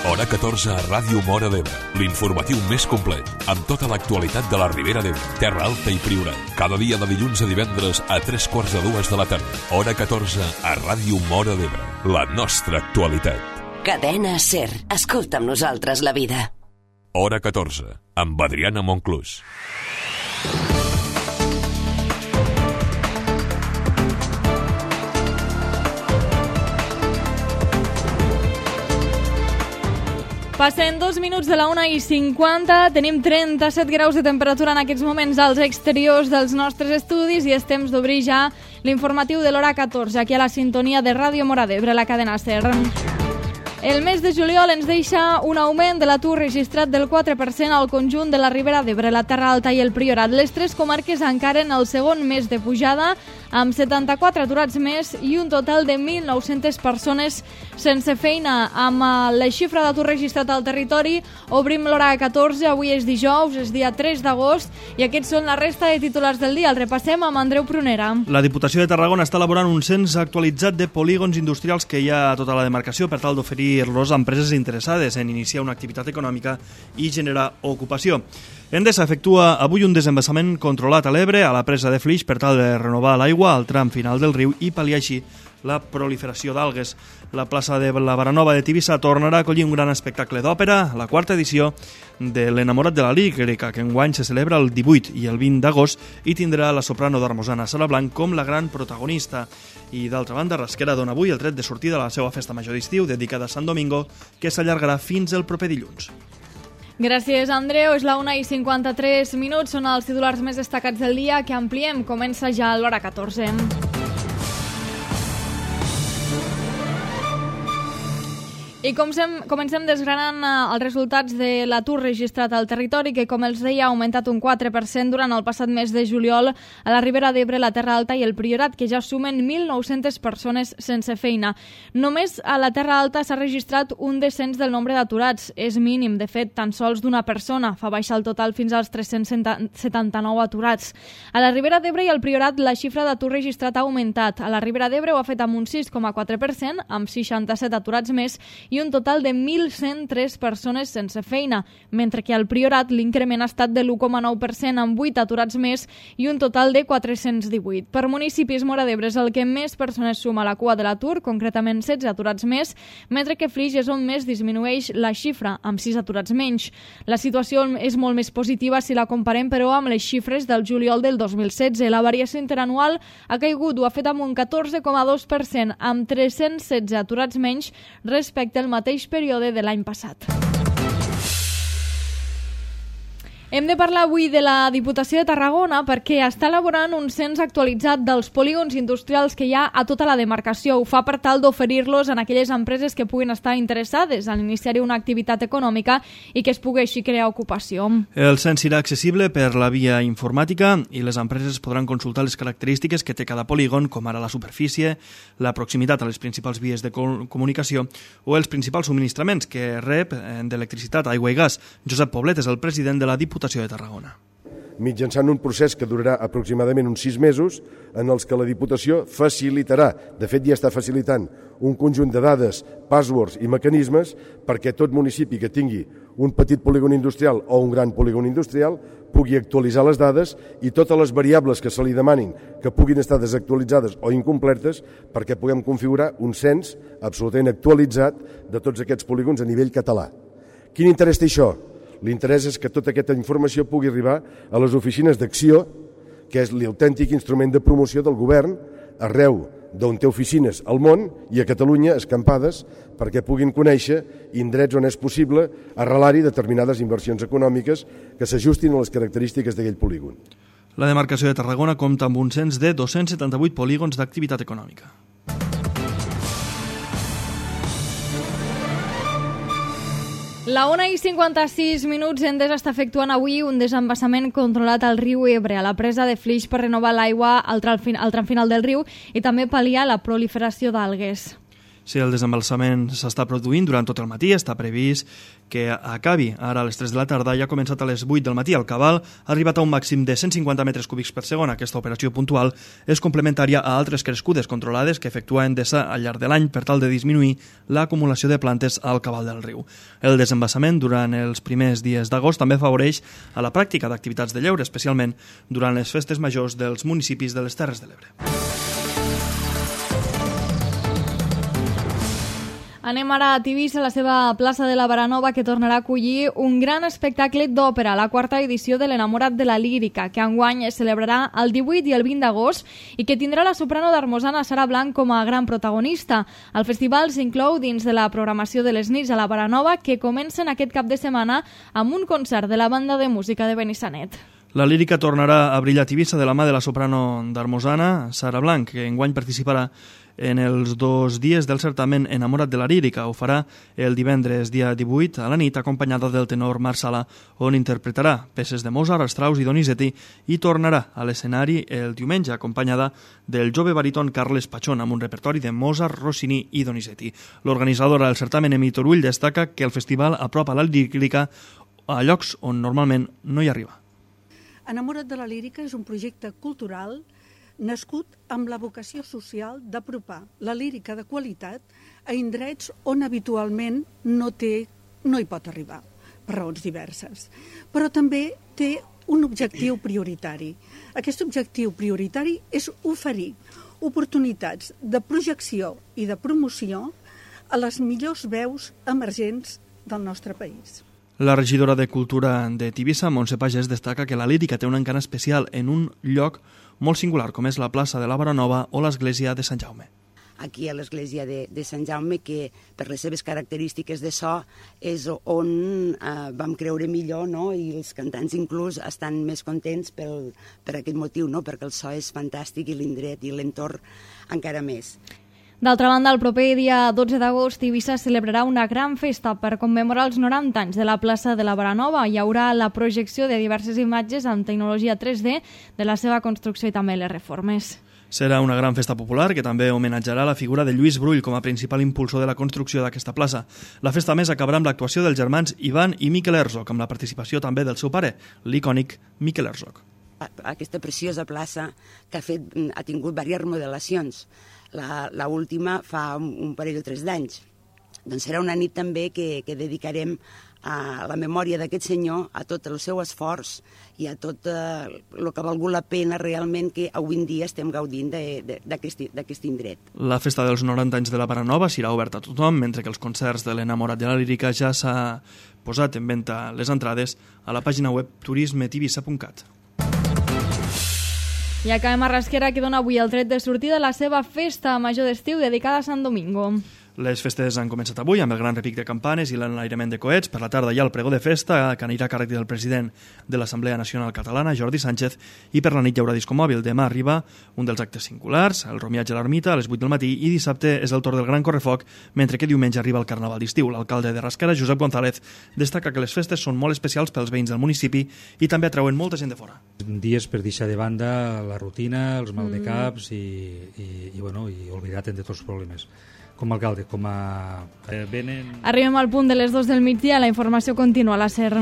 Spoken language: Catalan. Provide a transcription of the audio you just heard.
Hora 14 a Ràdio Móra d'Ebre. L'informatiu més complet, amb tota l'actualitat de la Ribera d'Ebre, Terra Alta i Priorat. Cada dia de dilluns a divendres a 3:45 de la tarda. Hora 14 a Ràdio Móra d'Ebre. La nostra actualitat. Cadena SER. Escolta amb nosaltres la vida. Hora 14, amb Adriana Monclús. Passen 2 minuts de la 1:50, tenim 37 graus de temperatura en aquests moments als exteriors dels nostres estudis i és temps d'obrir ja l'informatiu de l'hora 14, aquí a la sintonia de Ràdio Móra d'Ebre, la cadena SER. El mes de juliol ens deixa un augment de l'atur registrat del 4% al conjunt de la Ribera d'Ebre, la Terra Alta i el Priorat. Les tres comarques encaren el segon mes de pujada, amb 74 aturats més i un total de 1.900 persones sense feina. Amb la xifra d'atur registrat al territori, obrim l'hora 14, avui és dijous, és dia 3 d'agost, i aquests són la resta de titulars del dia. El repassem amb Andreu Prunera. La Diputació de Tarragona està elaborant un cens actualitzat de polígons industrials que hi ha a tota la demarcació per tal d'oferir-los a empreses interessades en iniciar una activitat econòmica i generar ocupació. Endesa efectua avui un desembassament controlat a l'Ebre, a la presa de Flix, per tal de renovar l'aigua al tram final del riu i pal·liar així la proliferació d'algues. La plaça de la Baranova de Tivissa tornarà a acollir un gran espectacle d'òpera, la quarta edició de l'Enamorat de la Lírica, que enguany se celebra el 18 i el 20 d'agost i tindrà la soprano d'Armosana Sala Blanc com la gran protagonista. I d'altra banda, Rasquera dona avui el tret de sortida a la seva festa major d'estiu dedicada a Sant Domingo, que s'allargarà fins el proper dilluns. Gràcies, Andreu. És la 1:53, són els titulars més destacats del dia que ampliem. Comença ja l'hora 14. I comencem desgranant els resultats de l'atur registrat al territori, que, com els deia, ha augmentat un 4% durant el passat mes de juliol a la Ribera d'Ebre, la Terra Alta i el Priorat, que ja sumen 1.900 persones sense feina. Només a la Terra Alta s'ha registrat un descens del nombre d'aturats. És mínim, de fet, tan sols d'una persona. Fa baixar el total fins als 379 aturats. A la Ribera d'Ebre i el Priorat la xifra d'atur registrat ha augmentat. A la Ribera d'Ebre ho ha fet amb un 6,4%, amb 67 aturats més, i un total de 1.103 persones sense feina, mentre que al Priorat l'increment ha estat de l'1,9% amb 8 aturats més i un total de 418. Per municipis, Móra d'Ebre és el que més persones suma a la cua de l'atur, concretament 16 aturats més, mentre que Flix és on més disminueix la xifra, amb 6 aturats menys. La situació és molt més positiva si la comparem, però, amb les xifres del juliol del 2016. La variació interanual ha caigut, ho ha fet amb un 14,2%, amb 316 aturats menys respecte al mateix període de l'any passat. Hem de parlar avui de la Diputació de Tarragona perquè està elaborant un cens actualitzat dels polígons industrials que hi ha a tota la demarcació. Ho fa per tal d'oferir-los a aquelles empreses que puguin estar interessades en iniciar una activitat econòmica i que es pugui així crear ocupació. El cens serà accessible per la via informàtica i les empreses podran consultar les característiques que té cada polígon, com ara la superfície, la proximitat a les principals vies de comunicació o els principals subministraments que rep d'electricitat, aigua i gas. Josep Poblet és el president de la Diputació de Tarragona. Mitjançant un procés que durarà aproximadament uns 6 mesos, en els que la Diputació facilitarà, de fet ja està facilitant, un conjunt de dades, passwords i mecanismes perquè tot municipi que tingui un petit polígon industrial o un gran polígon industrial pugui actualitzar les dades i totes les variables que se li demanin que puguin estar desactualitzades o incompletes perquè puguem configurar un cens absolutament actualitzat de tots aquests polígons a nivell català. Quin interès té això? L'interès és que tota aquesta informació pugui arribar a les oficines d'acció, que és l'autèntic instrument de promoció del govern arreu d'on té oficines al món i a Catalunya escampades perquè puguin conèixer indrets on és possible arrelar-hi determinades inversions econòmiques que s'ajustin a les característiques d'aquell polígon. La demarcació de Tarragona compta amb un cens de 278 polígons d'activitat econòmica. La 1:56, Endesa està efectuant avui un desembassament controlat al riu Ebre, a la presa de Flix, per renovar l'aigua al tram final del riu i també pal·liar la proliferació d'algues. Si el desembalsament s'està produint durant tot el matí, està previst que acabi ara a les 3 de la tarda i ha començat a les 8 del matí. El cabal ha arribat a un màxim de 150 metres cúbics per segon. Aquesta operació puntual és complementària a altres crescudes controlades que efectua Endesa al llarg de l'any per tal de disminuir l'acumulació de plantes al cabal del riu. El desembassament durant els primers dies d'agost també afavoreix a la pràctica d'activitats de lleure, especialment durant les festes majors dels municipis de les Terres de l'Ebre. Anem ara a Tivissa, a la seva plaça de la Baranova, que tornarà a acollir un gran espectacle d'òpera, la quarta edició de l'Enamorat de la Lírica, que enguany es celebrarà el 18 i el 20 d'agost i que tindrà la soprano d'Armosana Sara Blanc com a gran protagonista. El festival s'inclou dins de la programació de les nits a la Baranova, que comencen aquest cap de setmana amb un concert de la banda de música de Benissanet. La lírica tornarà a brillar a Tivissa de la mà de la soprano d'Armosana, Sara Blanc, que enguany participarà en els 2 dies del certamen Enamorat de la Lírica. Ho farà el divendres dia 18 a la nit, acompanyada del tenor Marc Sala, on interpretarà peces de Mozart, Strauss i Donizetti, i tornarà a l'escenari el diumenge, acompanyada del jove baríton Carles Pachón, amb un repertori de Mozart, Rossini i Donizetti. L'organitzadora del certamen, Emi Torull, destaca que el festival apropa la lírica a llocs on normalment no hi arriba. Enamorat de la Lírica és un projecte cultural nascut amb la vocació social d'apropar la lírica de qualitat a indrets on habitualment no hi pot arribar, per raons diverses. Però també té un objectiu prioritari. Aquest objectiu prioritari és oferir oportunitats de projecció i de promoció a les millors veus emergents del nostre país. La regidora de Cultura de Tivissa, Montse Pagès, destaca que la lírica té un encant especial en un lloc molt singular, com és la plaça de la Baranova o l'església de Sant Jaume. Aquí a l'església de Sant Jaume, que per les seves característiques de so és on vam creure millor, no? I els cantants inclús estan més contents per aquest motiu, no? Perquè el so és fantàstic i l'indret i l'entorn encara més. D'altra banda, el proper dia 12 d'agost, Tivissa celebrarà una gran festa per commemorar els 90 anys de la plaça de la Baranova. Hi haurà la projecció de diverses imatges amb tecnologia 3D de la seva construcció i també les reformes. Serà una gran festa popular que també homenatjarà la figura de Lluís Brull com a principal impulsor de la construcció d'aquesta plaça. La festa més acabarà amb l'actuació dels germans Ivan i Miquel Herzog, amb la participació també del seu pare, l'icònic Miquel Herzog. Aquesta preciosa plaça que ha tingut diverses remodelacions. La última fa un parell o 3 d'anys. Doncs serà una nit també que dedicarem a la memòria d'aquest senyor, a tot el seu esforç i a tot el que ha valgut la pena realment que avui en dia estem gaudint d'aquest indret. La festa dels 90 anys de la Baranova serà oberta a tothom, mentre que els concerts de l'Enamorat de la Lírica ja s'ha posat en venda les entrades a la pàgina web turismetivissa.cat. I acabem a Rasquera, que dona avui el tret de sortida a la seva festa major d'estiu dedicada a Sant Domingo. Les festes han començat avui amb el gran repic de campanes i l'enlairament de coets. Per la tarda hi ha el pregó de festa, que anirà a càrrec del president de l'Assemblea Nacional Catalana, Jordi Sánchez, i per la nit hi haurà disco mòbil. Demà arriba un dels actes singulars, el romiatge a l'ermita, a les 8 del matí, i dissabte és el torn del gran correfoc, mentre que diumenge arriba el Carnaval d'estiu. L'alcalde de Rasquera, Josep González, destaca que les festes són molt especials pels veïns del municipi i també atrauen molta gent de fora. Dies per deixar de banda la rutina, els mal de caps i oblidar-te'n de tots els problemes. Com a alcalde, com a... Arribem al punt de les 2 del migdia, la informació continua a la SER.